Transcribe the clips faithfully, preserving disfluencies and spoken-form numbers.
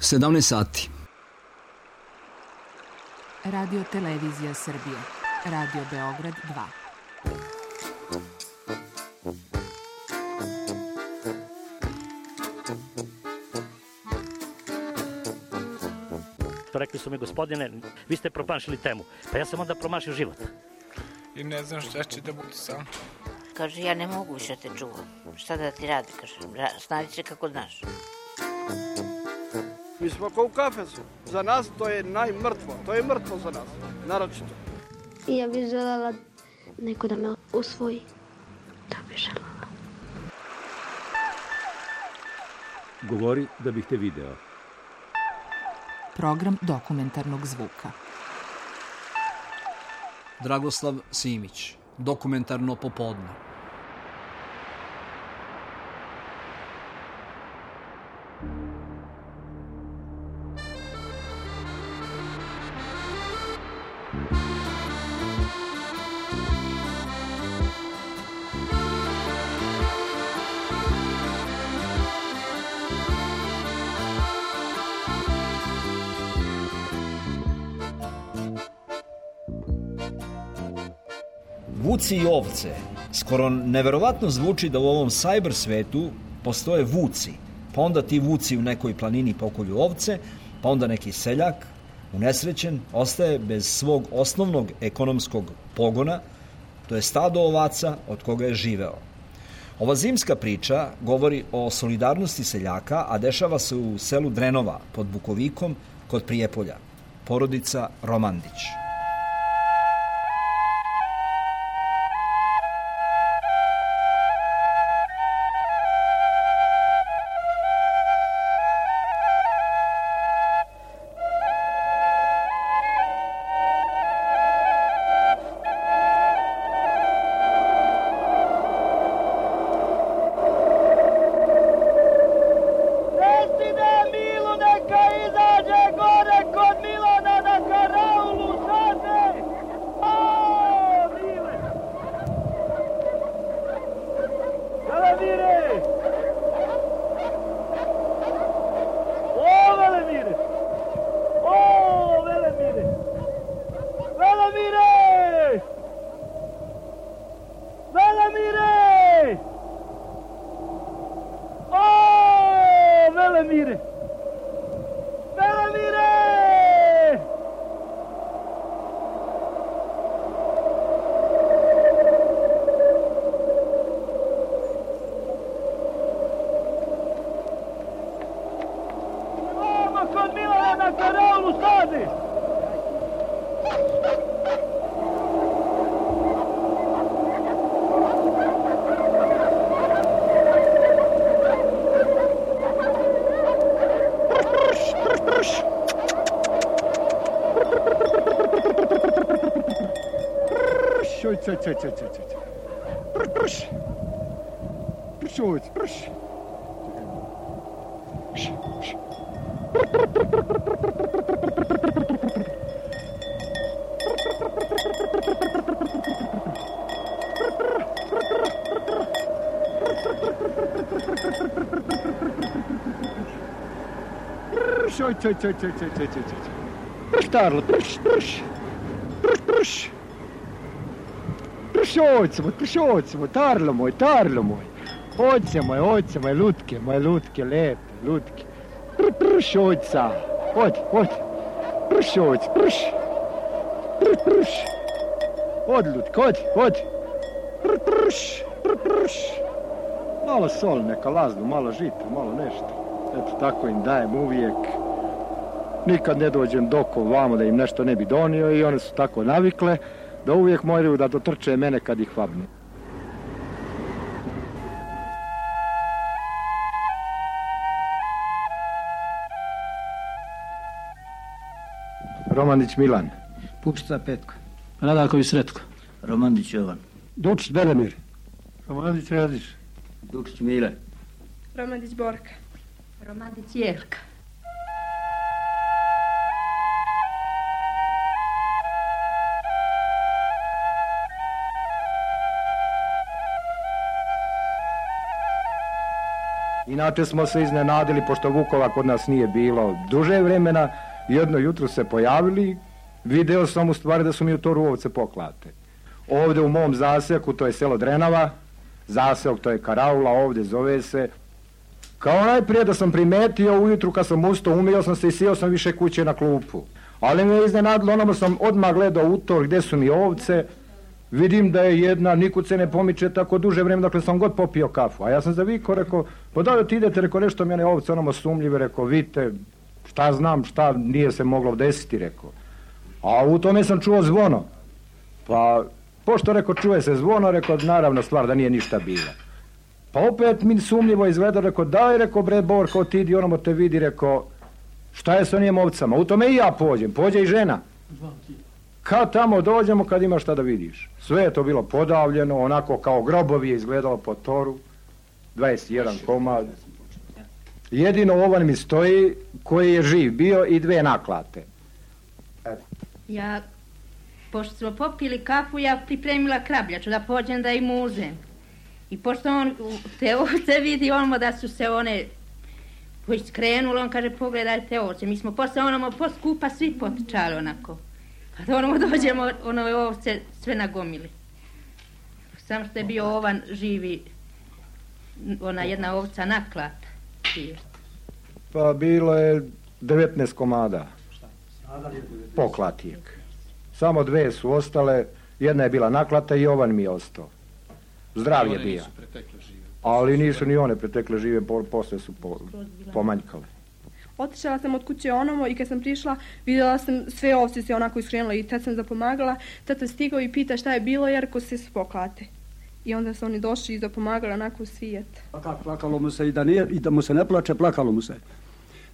sedamnaest sati. Radio Televizija Srbije. Radio Beograd dva. Rekli su mi, gospodine, vi ste promašili temu. Pa ja sam onda promašio život. I ne znam šta će da bude sam. Kaže, ja ne mogu više te čuvam. Šta da ti radi, kaže, snađi se kako znaš. Mi smo kao u kafesu. Za nas to je najmrtvo. To je mrtvo za nas, naročito. I ja bih željela neko da me usvoji. Da bih željela. Govori da bih te video. Program dokumentarnog zvuka. Dragoslav Simić, dokumentarno popodne. Vuci i ovce. Skoro neverovatno zvuči da u ovom cyber svetu postoje vuci. Pa onda ti vuci u nekoj planini pokolju ovce, pa onda neki seljak, unesrećen, ostaje bez svog osnovnog ekonomskog pogona, to je stado ovaca od koga je živeo. Ova zimska priča govori o solidarnosti seljaka, a dešava se u selu Drenova pod Bukovikom kod Prijepolja. Porodica Romandić. Caj, caj, caj, caj, caj. Prš, prš. Prš, ovdje, prš. Prš, prš. Prš, oj, caj, caj, caj, caj, caj, caj. Prš, Tarlo, prš, prš. Prš, prš. Pršovcemo, pršovcemo, Tarlo moj, Tarlo moj. Ojce moj, ojce moj, lutke, moje lutke, lepe, lutke. Pr, pršovca, odi, odi. Pršovc, prš. Pr, prš. Odi, lutke, odi, odi. Pr, prš, pr, prš. Malo sol, neka laznu, malo žita, malo nešto. Eto, tako im dajem uvijek. Nikad ne dođem doko vamo da im nešto ne bi donio i one su tako navikle da uvijek moraju da dotrče mene kad ih vabne. Romandić Milan. Pupšta Petko. Radaković Sretko. Romandić Jovan. Dučić Belemir. Romandić Radiš. Dučić Mile. Romandić Borka. Romandić Jelka. Inače smo se iznenadili, pošto vukova kod nas nije bilo duže vremena, jedno jutro se pojavili, video sam u stvari da su mi u toru ovce poklate. Ovde u mom zaseoku, to je selo Drenava, zaseok to je Karaula, ovde zove se. Kao najprije da sam primetio ujutru kad sam ustao, umio sam se i sjeo sam više kuće na klupu. Ali me je iznenadilo, onamo sam odmah gledao u to gde su mi ovce, vidim da je jedna, nikud se ne pomiče tako duže vreme, dakle sam god popio kafu. A ja sam zavikao, rekao, pa da li ti idete, rekao, nešto mene ovce onamo sumljive, rekao, vidite, šta znam, šta nije se moglo desiti, rekao. A u tome sam čuo zvono. Pa, pošto, rekao, čuje se zvono, rekao, naravno stvar da nije ništa bila. Pa opet mi sumljivo izgleda, rekao, daj, rekao, bre, Borko, ti idi, onamo te vidi, rekao, šta je sa njim ovcama? U tome i ja pođem, pođe i žena. Kad tamo dođemo, kad imaš šta da vidiš. Sve je to bilo podavljeno, onako kao grobovi je izgledalo po toru, dvadeset jedan komad. Jedino ovan mi stoji koji je živ bio i dve naklate. Eto. Ja, pošto smo popili kafu, ja pripremila krabljaču da pođem da im uzem. I pošto on te ovce vidi, ono da su se one skrenule, on kaže pogledajte ovce. Mi smo posle onamo poskupa svi potičali onako. Pa da onamo dođemo, ono ovce sve nagomili. Samo što je bio ovan živi, ona jedna ovca naklata. Pa bilo je devetnaest komada. Poklatijek. Samo dve su ostale, jedna je bila naklata i ovan mi je ostao. Zdrav je bio. Ali nisu ni one pretekle žive, posle su po, pomanjkale. Otišla sam od kuće onomo i kad sam prišla vidjela sam sve ovce se onako iskrenule i tad sam zapomagala. Tata stigao i pita šta je bilo jer ko se spoklate. I onda su oni došli i zapomagala onako u svijet. Plakalo mu se i da, nije, i da mu se ne plače, plakalo mu se.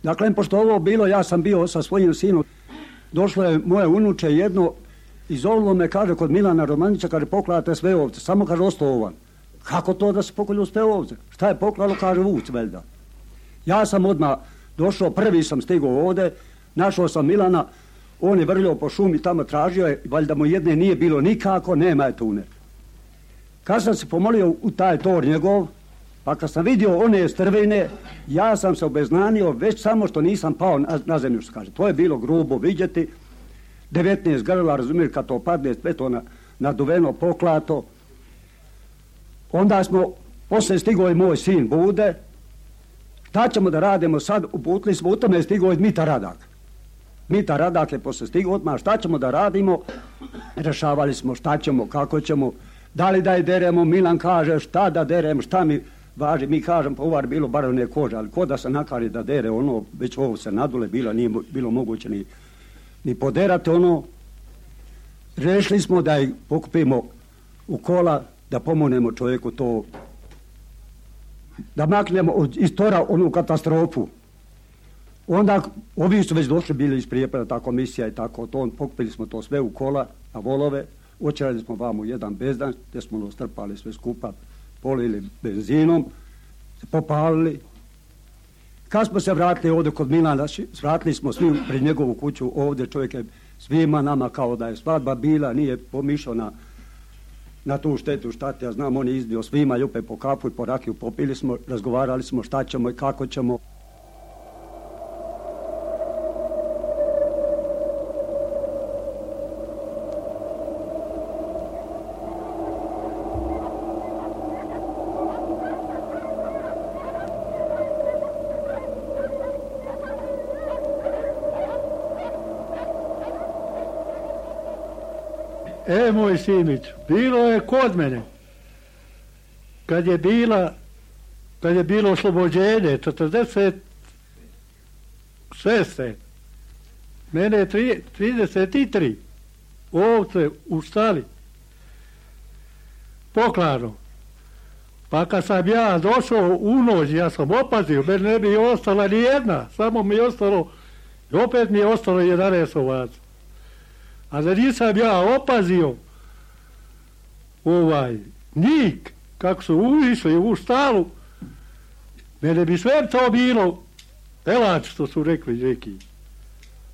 Dakle, pošto ovo bilo, ja sam bio sa svojim sinom. Došlo je moje unuče jedno i zovlo me, kaže, kod Milana Romanića, kaže, poklate sve ovce. Samo, kaže, ostao ovan. Kako to da se pokolju sve ovce? Šta je poklalo, kaže, vuc, veljda. Ja sam odmah došao, prvi sam stigao ovde, našao sam Milana, on je vrljao po šumi, tamo tražio je, valjda mu jedne nije bilo nikako, nema je tune. Kad sam se pomolio u taj tor njegov, pa kad sam vidio one strvine, ja sam se obeznanio već samo što nisam pao na, na zemlju, što kaže. To je bilo grubo vidjeti, devetnaest grla, razumiješ, kad to padne, sve to na, naduveno, poklato. Onda smo, posle stigao i moj sin Bude, šta ćemo da radimo sad, uputili smo, u tome je stigao i Mita Radak. Mita Radak je posle stigao odmah, šta ćemo da radimo, rešavali smo šta ćemo, kako ćemo, da li da je deremo, Milan kaže šta da derem, šta mi važi, mi kažem, pa ovar bilo bar one kože, ali ko da se nakari da dere, ono, već ovo se nadule bilo, nije bilo moguće ni, ni poderati, ono, rešili smo da ih pokupimo u kola, da pomognemo čovjeku to, da maknemo iz tora onu katastrofu. Onda ovi su već došli bili iz Prijepolja, ta komisija i tako, to, pokupili smo to sve u kola, na volove, očerali smo vamo jedan bezdan, gdje smo ono strpali sve skupa, polili benzinom, popalili. Kad smo se vratili ovdje kod Milana, vratili smo svi pred njegovu kuću, ovdje čovjek je svima nama kao da je svadba bila, nije pomišljao na na tu štetu, šta te, ja znam, on je izbio svima, ljupe po kapu i po rakiju, popili smo, razgovarali smo šta ćemo i kako ćemo. E, moj Simić, bilo je kod mene, kad je bila, kad je bilo oslobođenje, četrdeset šeste. Mene je trideset tri ovce u štali, poklano. Pa kad sam ja došao u noć, ja sam opazio, meni ne bi ostala ni jedna, samo mi je ostalo, i opet mi je ostalo jedanaest ovaca. A da nisam ja opazio ovaj njih, kako su uvišli u štalu, mene bi sve to bilo elač, što su rekli neki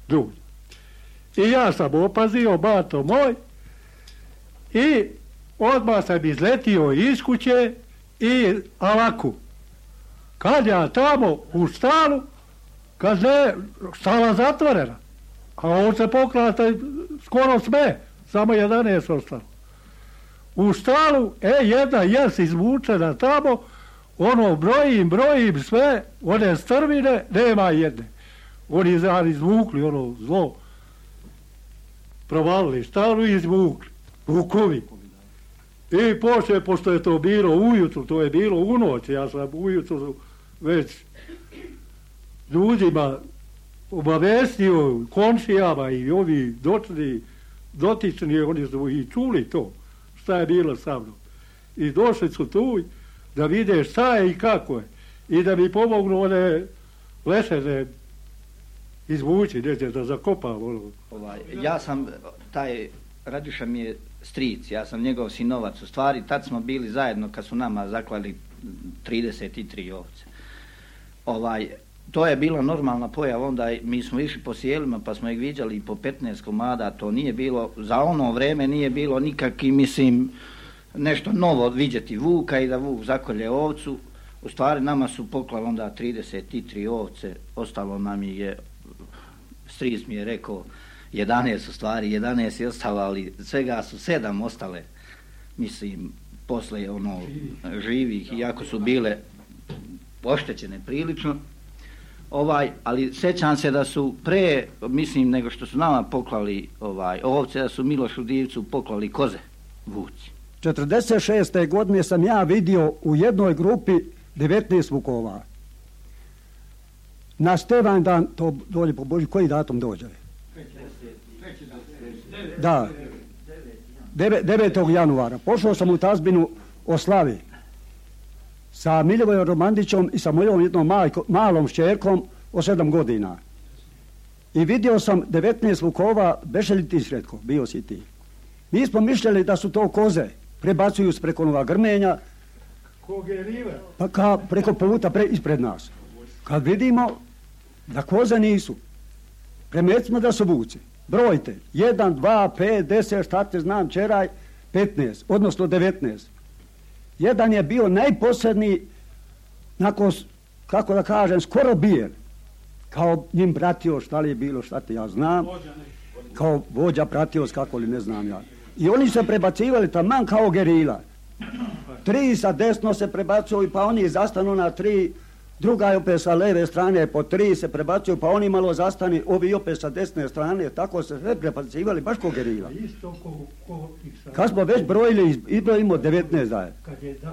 ljudi. I ja sam opazio, bato moj, i odmah sam izletio iz kuće i alaku. Kad ja tamo u stalu, kad ne, stala zatvorena, a ovce poklata skoro sve, samo jedanaest ostalo. U stalu, e, jedna jes izvučena tamo, ono, brojim, brojim sve, one strvine, nema jedne. Oni zari izvukli, ono, zlo, provalili stalu i izvukli, vukovi. I poslije, pošto je to bilo ujutru, to je bilo u noć, ja sam ujutru već ljudima obavestio, komšijama i ovi dočni, dotični, oni su i čuli to, šta je bilo sa mnom. I došli su tu da vide šta je i kako je. I da mi pomognu one lešene izvući, neće da zakopam. Ono. Ovaj, ja sam, taj Radiša mi je stric, ja sam njegov sinovac. U stvari, tad smo bili zajedno kad su nama zaklali trideset tri ovce. Ovaj, to je bila normalna pojava, onda mi smo išli po sjelima pa smo ih viđali po petnaest komada, to nije bilo, za ono vreme nije bilo nikakvi, mislim, nešto novo vidjeti vuka i da vuk zakolje ovcu. U stvari nama su poklali onda trideset tri ovce, ostalo nam je, stric mi je rekao, jedanaest u stvari, jedanaest je ostalo, ali svega su sedam ostale, mislim, posle ono, živih, iako su bile oštećene prilično. Ovaj, ali sećam se da su pre, mislim, nego što su nama poklali ovaj, ovce, da su Milošu Divcu poklali koze, vuci. četrdeset šeste godine sam ja vidio u jednoj grupi devetnaest vukova. Na Stevan dan, to dođe po Božji, koji datum dođe? Da, devetog januara. Pošao sam u tazbinu o slavi sa Miljevojom Romandićom i sa mojom jednom majko, malom šćerkom od sedam godina. I vidio sam devetnaest vukova, beše li ti Sretko, bio si ti. Mi smo mišljali da su to koze, prebacuju s preko nova grmenja, pa ka preko puta pre, ispred nas. Kad vidimo da koze nisu, premetimo da su vuci. Brojte, jedan, dva, pet, deset, šta te znam, čeraj, petnaest, odnosno devetnaest. Jedan je bio najposljedniji, nakon, kako da kažem, skoro bijen. Kao njim pratio, šta li je bilo, šta te ja znam. Kao vođa pratio, kako li ne znam ja. I oni se prebacivali taman kao gerila. Tri sa desno se prebacuju, pa oni zastanu na tri. Druga je opet sa leve strane, po tri se prebacuju, pa oni malo zastani, ovi opet sa desne strane, tako se sve prebacivali, baš ko gerila. Kad smo već brojili, izbrojimo devetnaest daje.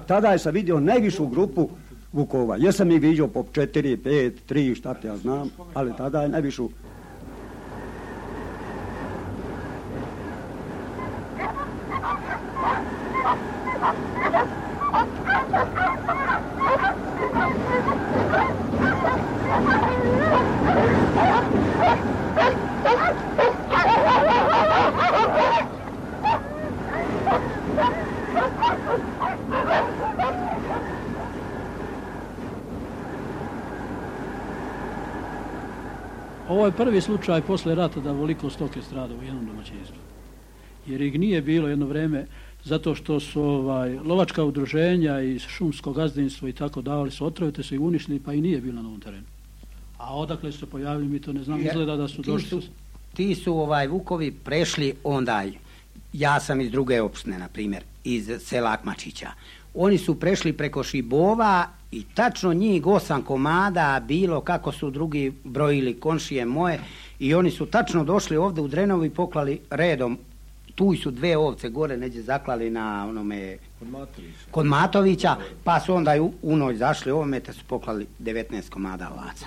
Tada je sam vidio najvišu grupu vukova. Jesam ih vidio po četiri, pet, tri, šta te ja znam, ali tada je najvišu. Ovo je prvi slučaj posle rata da voliko stoke strada u jednom domaćinstvu. Jer ih nije bilo jedno vreme zato što su ovaj, lovačka udruženja i šumsko gazdinstvo i tako davali su otrove, te su ih uništili, pa i nije bilo na ovom terenu. A odakle su se pojavili, mi to ne znam, izgleda da su ti došli. Su, ti su ovaj vukovi prešli ondaj, ja sam iz druge opštine, na primjer, iz sela Akmačića. Oni su prešli preko Šibova i tačno njih osam komada bilo kako su drugi brojili komšije moje i oni su tačno došli ovdje u Drenovu i poklali redom. Tu su dve ovce gore neđe zaklali na onome kod Matovića, kod Matovića pa su onda u, u noć zašli ovome te su poklali devetnaest komada ovaca.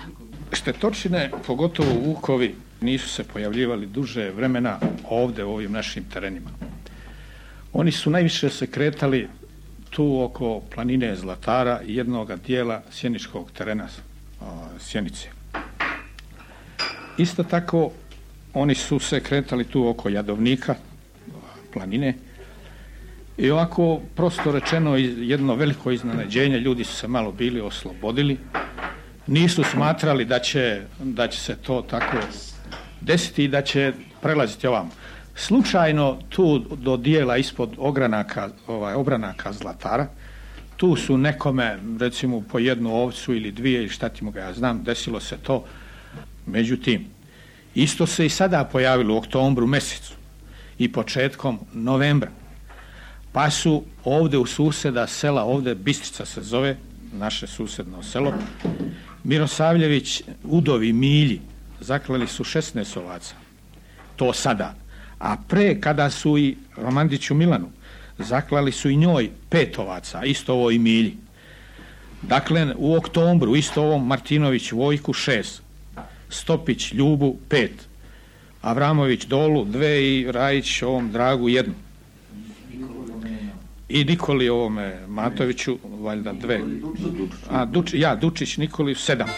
Štetočine, pogotovo vukovi, nisu se pojavljivali duže vremena ovdje u ovim našim terenima. Oni su najviše se kretali tu oko planine Zlatara i jednoga dijela sjeničkog terena Sjenice. Isto tako oni su se kretali tu oko Jadovnika, planine, i ovako prosto rečeno jedno veliko iznenađenje, ljudi su se malo bili oslobodili, nisu smatrali da će, da će se to tako desiti i da će prelaziti ovamo. Slučajno tu do dijela ispod ogranaka, ovaj, obranaka Zlatara tu su nekome, recimo, po jednu ovcu ili dvije, ili šta ti mogu, ja znam, desilo se to. Međutim, isto se i sada pojavilo u oktobru mesecu i početkom novembra. Pa su ovde u suseda sela, ovde Bistrica se zove, naše susedno selo, Mirosavljević, udovi Milji, zaklali su šesnaest ovaca. To sada. A pre, kada su i Romandiću Milanu, zaklali su i njoj pet ovaca, isto ovo i Milji. Dakle, u oktobru, isto ovom Martinović Vojku šest, Stopić Ljubu pet, Avramović Dolu dve i Rajić ovom Dragu jednu. I Nikoli ovome Matoviću valjda dve. A Duč, ja, Dučić Nikoli sedam.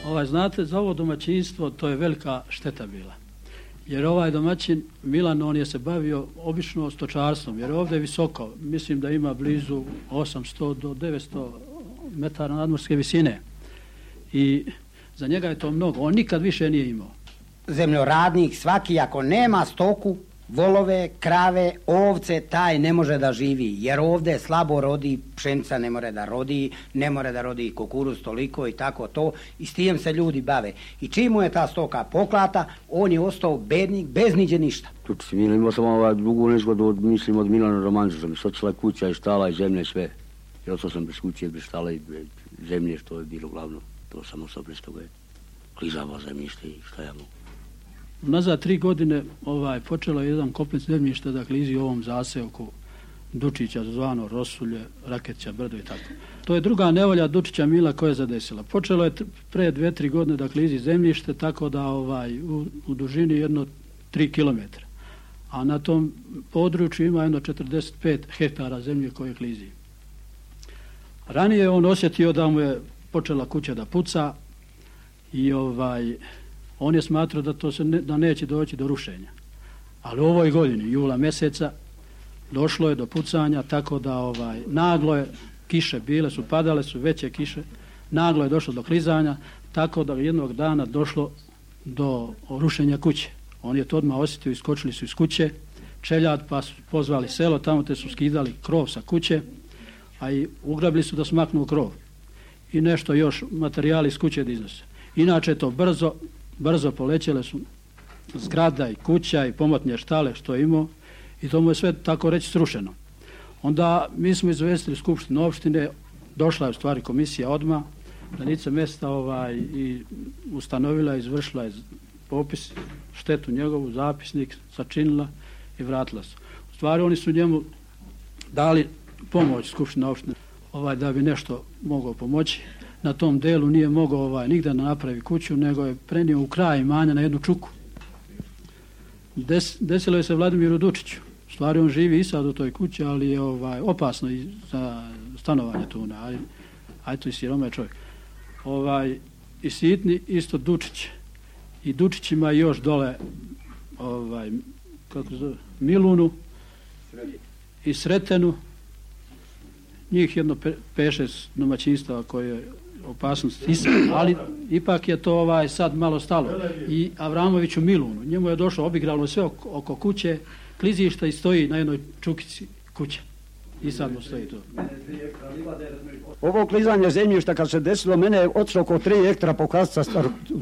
Ovaj, znate, za ovo domaćinstvo to je velika šteta bila. Jer ovaj domaćin Milan, on je se bavio obično stočarstvom, jer ovdje je visoko, mislim da ima blizu osamsto do devetsto metara nadmorske visine. I za njega je to mnogo, on nikad više nije imao. Zemljoradnik svaki, ako nema stoku, volove, krave, ovce, taj ne može da živi, jer ovdje slabo rodi, pšenica ne more da rodi, ne more da rodi kukuruz toliko i tako to, i s tim se ljudi bave. I čim mu je ta stoka poklata, on je ostao bednik, bez niđe ništa. Tuči si Milan, imao sam ovaj drugu nezgodu, od, mislim, od Milana Romandića, sam socila kuća i štala i zemlje sve. I ostao sam bez kuće, bez štala i bez zemlje, što je bilo glavno. To sam ostao bez toga. Klizava zemljište i šta ja mogu. Nazad tri godine ovaj, počelo je jedan komplet zemljišta da klizi u ovom zaseoku Dučića, zvano Rosulje, Rakeća, Brdo i tako. To je druga nevolja Dučića Mila koja je zadesila. Počelo je pre dve, tri godine da klizi zemljište, tako da ovaj, u, u dužini jedno tri kilometra. A na tom području ima jedno četrdeset pet hektara zemlje koje klizi. Ranije on osjetio da mu je počela kuća da puca i ovaj... on je smatrao da to se ne, da neće doći do rušenja. Ali u ovoj godini, jula mjeseca, došlo je do pucanja, tako da ovaj, naglo je, kiše bile su, padale su veće kiše, naglo je došlo do klizanja, tako da jednog dana došlo do rušenja kuće. On je to odmah osjetio, iskočili su iz kuće, čeljad, pa su pozvali selo, tamo te su skidali krov sa kuće, a i ugrabili su da smaknu krov. I nešto još materijali iz kuće da iznose. Inače to brzo, brzo polećele su zgrada i kuća i pomotnje štale što je imao i to mu je sve tako reći srušeno. Onda mi smo izvestili Skupštinu opštine, došla je u stvari komisija odmah, na lice mjesta ovaj, i ustanovila, izvršila je popis, štetu njegovu, zapisnik, sačinila i vratila se. U stvari oni su njemu dali pomoć Skupština opštine ovaj, da bi nešto mogao pomoći. Na tom delu nije mogao ovaj, nigde da napravi kuću, nego je prenio u kraj imanja na jednu čuku. Des, desilo je se Vladimiru Dučiću. U stvari on živi i sad u toj kući, ali je ovaj, opasno i za stanovanje tu. Ali, aj to i siroma je čovjek. Ovaj, I sitni isto Dučić. I Dučić ima još dole ovaj, kako zove, Milunu i Sretenu. Njih jedno pe, peše domaćinstava koje je opasnost, ali ipak je to ovaj sad malo stalo. I Avramoviću Milunu, njemu je došlo, obigralo sve oko, oko kuće, klizišta i stoji na jednoj čukici kuće. I sad mu stoji to. Ovo klizanje zemljišta kad se desilo, mene je otišlo oko tri hektra pokazca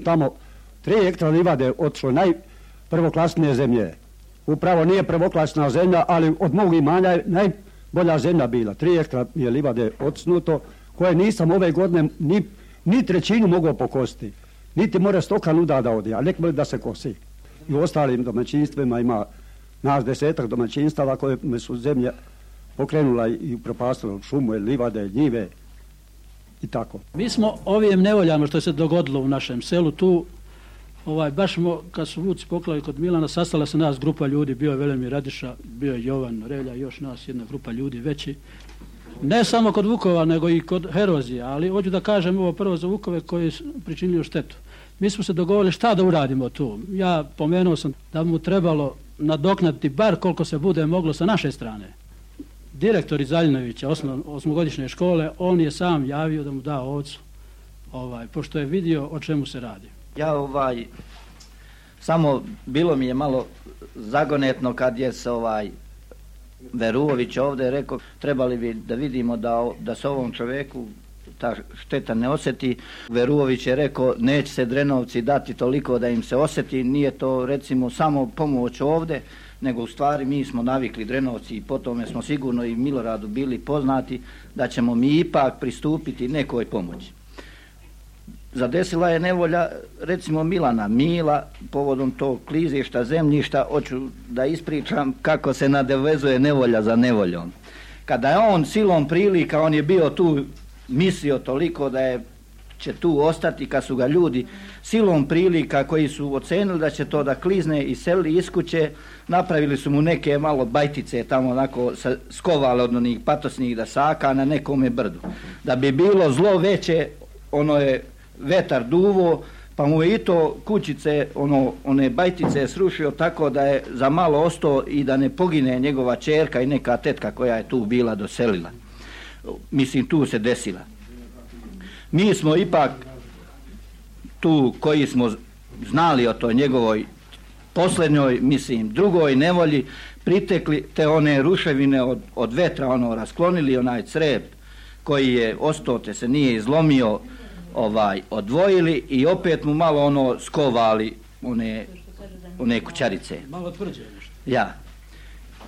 tamo, tri hektra livade otišlo, najprvoklasnije zemlje. Upravo nije prvoklasna zemlja, ali od mog imanja je najbolja zemlja bila. Tri hektra je livade otisnuto, koje nisam ove godine ni, ni trećinu mogao pokositi. Niti more stoka nuda da odi, a nek moli da se kosi. I u ostalim domaćinstvima ima nas desetak domaćinstava koje me su zemlje pokrenula i propastila šumu, livade, njive i tako. Mi smo ovim nevoljama što se dogodilo u našem selu tu Ovaj, baš smo, kad su vuci poklali kod Milana, sastala se nas grupa ljudi, bio je Velimir Radiša, bio je Jovan Relja, još nas jedna grupa ljudi veći. Ne samo kod Vukova, nego i kod Herozija, ali hoću da kažem ovo prvo za Vukove koji su pričinili štetu. Mi smo se dogovorili šta da uradimo tu. Ja pomenuo sam da mu trebalo nadoknaditi bar koliko se bude moglo sa naše strane. Direktor iz Aljinovića, osmogodišnje škole, on je sam javio da mu da ovcu, ovaj, pošto je vidio o čemu se radi. Ja ovaj, samo bilo mi je malo zagonetno kad je se ovaj Veruović ovdje rekao, trebali bi da vidimo da, da se ovom čoveku ta šteta ne osjeti. Veruović je rekao, neće se Drenovci dati toliko da im se osjeti, nije to recimo samo pomoć ovdje, nego u stvari mi smo navikli Drenovci i po tome smo sigurno i Miloradu bili poznati da ćemo mi ipak pristupiti nekoj pomoći. Zadesila je nevolja recimo Milana Mila povodom tog klizišta zemljišta, hoću da ispričam kako se nadovezuje nevolja za nevoljom. Kada je on silom prilika, on je bio tu, mislio toliko da je će tu ostati, kad su ga ljudi silom prilika koji su ocenili da će to da klizne i selili iz kuće, napravili su mu neke malo bajtice tamo onako skovale od onih patosnih dasaka na nekome brdu. Da bi bilo zlo veće, ono je vetar duvo, pa mu je i to kućice, ono, one bajtice srušio tako da je za malo ostao i da ne pogine njegova ćerka i neka tetka koja je tu bila doselila. Mislim, tu se desila. Mi smo ipak tu koji smo znali o toj njegovoj posljednjoj, mislim, drugoj nevolji, pritekli te one ruševine od, od vetra, ono, rasklonili onaj crep koji je ostao, te se nije izlomio, ovaj, odvojili i opet mu malo ono skovali one, one kućarice. Malo tvrđe nešto. Ja.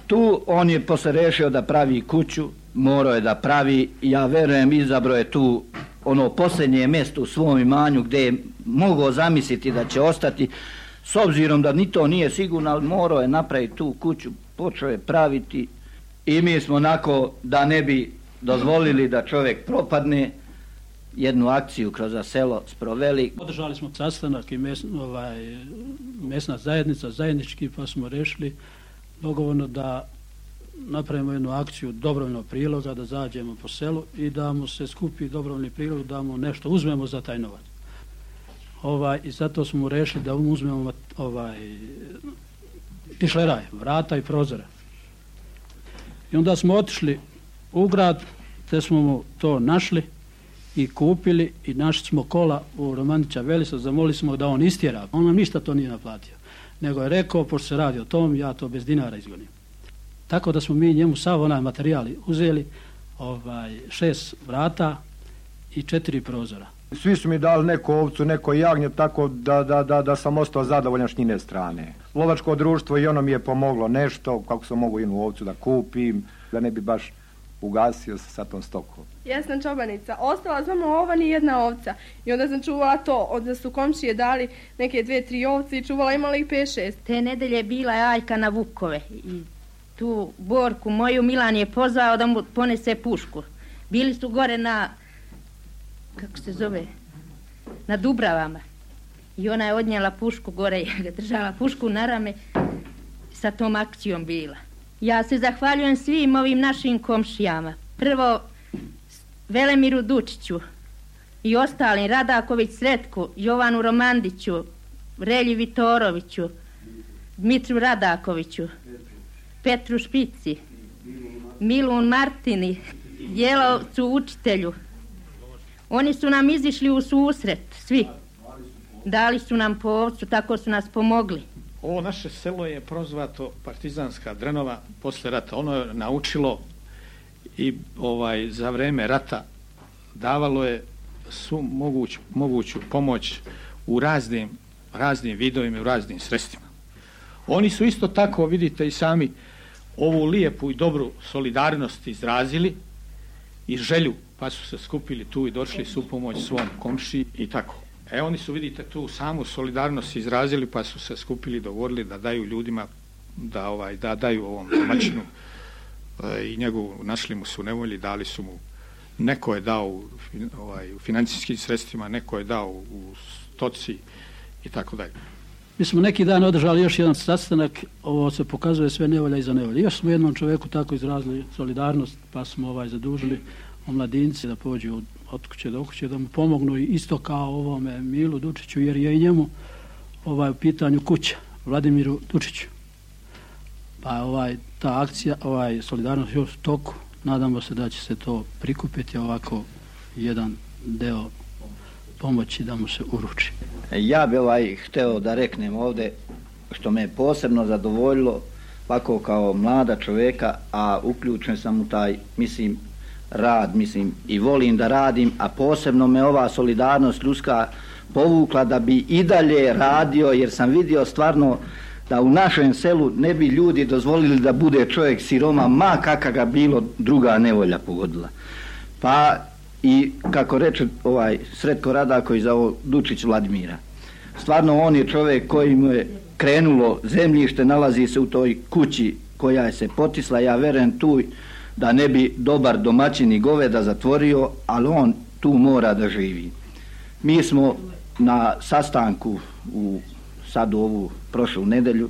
Tu on je posle rešio da pravi kuću, morao je da pravi, ja verujem izabro je tu ono posljednje mjesto u svom imanju gdje je mogao zamisliti da će ostati, s obzirom da ni to nije sigurno, ali morao je napraviti tu kuću, počeo je praviti i mi smo onako da ne bi dozvolili da čovjek propadne, jednu akciju kroz selo sproveli. Održali smo sastanak i mes, ovaj, mesna zajednica, zajednički, pa smo rešili dogovorno da napravimo jednu akciju dobrovoljnog priloga, da zađemo po selu i da mu se skupi dobrovoljni prilog, da mu nešto uzmemo za taj novac. Ovaj, I zato smo mu rešili da uzmemo ovaj, tišleraj, vrata i prozore. I onda smo otišli u grad, te smo mu to našli i kupili i našli smo kola u Romandića Velisa, zamolili smo da on istjera. On nam ništa to nije naplatio, nego je rekao, pošto se radi o tom, ja to bez dinara izgonim. Tako da smo mi njemu sav onaj materijali uzeli, ovaj, šest vrata i četiri prozora. Svi su mi dali neku ovcu, neko jagnje, tako da, da, da, da sam ostao zadovoljan s njine strane. Lovačko društvo i ono mi je pomoglo nešto, kako sam mogu jednu ovcu da kupim, da ne bi baš ugasio se sa tom stokom. Ja sam čobanica, ostala samo ova ni jedna ovca i onda sam čuvala to, onda su komšije dali neke dve, tri ovce i čuvala imala ih pet, šest. Te nedelje bila je Ajka na Vukove i tu Borku moju Milan je pozvao da mu ponese pušku. Bili su gore na, kako se zove, na Dubravama i ona je odnijela pušku gore, je držala pušku na rame, sa tom akcijom bila. Ja se zahvaljujem svim ovim našim komšijama. Prvo Velemiru Dučiću i ostalim, Radaković Sretku, Jovanu Romandiću, Relji Vitoroviću, Dmitru Radakoviću, Petru Špici, Milun Martini, Jelovcu učitelju. Oni su nam izišli u susret, svi. Dali su nam po ovcu, tako su nas pomogli. Ovo naše selo je prozvato Partizanska Drenova posle rata. Ono je naučilo i ovaj za vreme rata davalo je svu moguću, moguću pomoć u raznim, raznim vidovima i u raznim sredstvima. Oni su isto tako, vidite i sami, ovu lijepu i dobru solidarnost izrazili i želju, pa su se skupili tu i došli su pomoć svom komšiji i tako. E oni su, vidite, tu samu solidarnost izrazili, pa su se skupili, dogovorili da daju ljudima, da ovaj da daju ovom domaćinu e, i njegovu, našli mu su nevolji, dali su mu, neko je dao ovaj, u financijskim sredstvima, neko je dao u stoci i tako dalje. Mi smo neki dan održali još jedan sastanak, ovo se pokazuje sve nevolja iza nevolja. Još smo jednom čovjeku tako izrazili solidarnost, pa smo ovaj zadužili omladinci da pođu od kuće do kuće, da mu pomognu isto kao ovome Milu Dučiću, jer je i njemu ovaj, u pitanju kuća, Vladimiru Dučiću. Pa ovaj, ta akcija, ovaj, solidarnost još u toku, nadamo se da će se to prikupiti ovako jedan deo pomoći da mu se uruči. Ja bi ovaj hteo da reknem ovde što me je posebno zadovoljilo ovako kao mlada čoveka, a uključen sam u taj, mislim, rad, mislim, i volim da radim, a posebno me ova solidarnost ljudska povukla da bi i dalje radio, jer sam vidio stvarno da u našem selu ne bi ljudi dozvolili da bude čovjek siroma, ma kakva ga bilo druga nevolja pogodila. Pa i kako reče ovaj Sretko Radaković za ovo Dučić Vladimira. Stvarno on je čovjek koji mu je krenulo zemljište, nalazi se u toj kući koja je se potisla, ja verujem tu da ne bi dobar domaćin i goveda zatvorio, ali on tu mora da živi. Mi smo na sastanku u sad ovu prošlu nedelju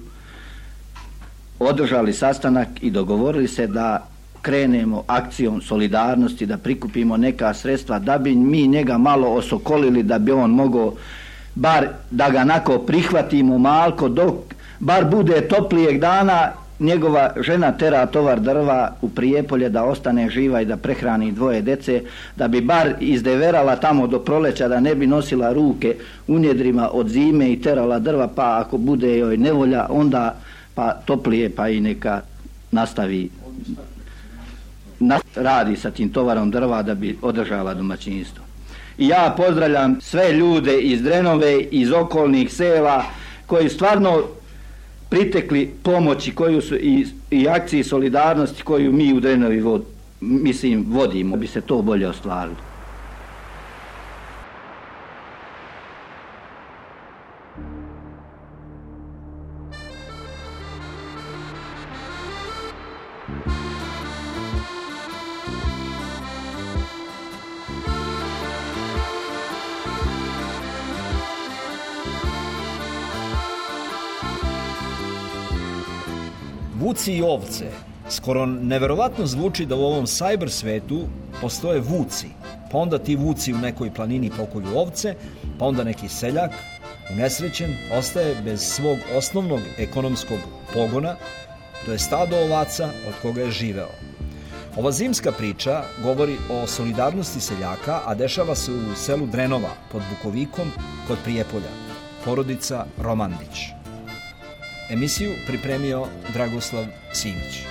održali sastanak i dogovorili se da krenemo akcijom solidarnosti, da prikupimo neka sredstva, da bi mi njega malo osokolili, da bi on mogao bar da ga nako prihvatimo malko, dok bar bude toplijeg dana, njegova žena tera tovar drva u Prijepolje da ostane živa i da prehrani dvoje dece, da bi bar izdeverala tamo do proleća, da ne bi nosila ruke u njedrima od zime i terala drva, pa ako bude joj nevolja, onda pa toplije, pa i neka nastavi radi sa tim tovarom drva da bi održala domaćinstvo. I ja pozdravljam sve ljude iz Drenove, iz okolnih sela koji stvarno pritekli pomoći koju su i, i akciji solidarnosti koju mi u Drenovi vod, mislim vodimo, bi se to bolje ostvarilo. Vuci i ovce. Skoro neverovatno zvuči da u ovom cyber svetu postoje vuci, pa onda ti vuci u nekoj planini pokolju ovce, pa onda neki seljak, unesrećen, ostaje bez svog osnovnog ekonomskog pogona, to je stado ovaca od koga je živeo. Ova zimska priča govori o solidarnosti seljaka, a dešava se u selu Drenova pod Bukovikom kod Prijepolja, porodica Romandić. Emisiju pripremio Dragoslav Simić.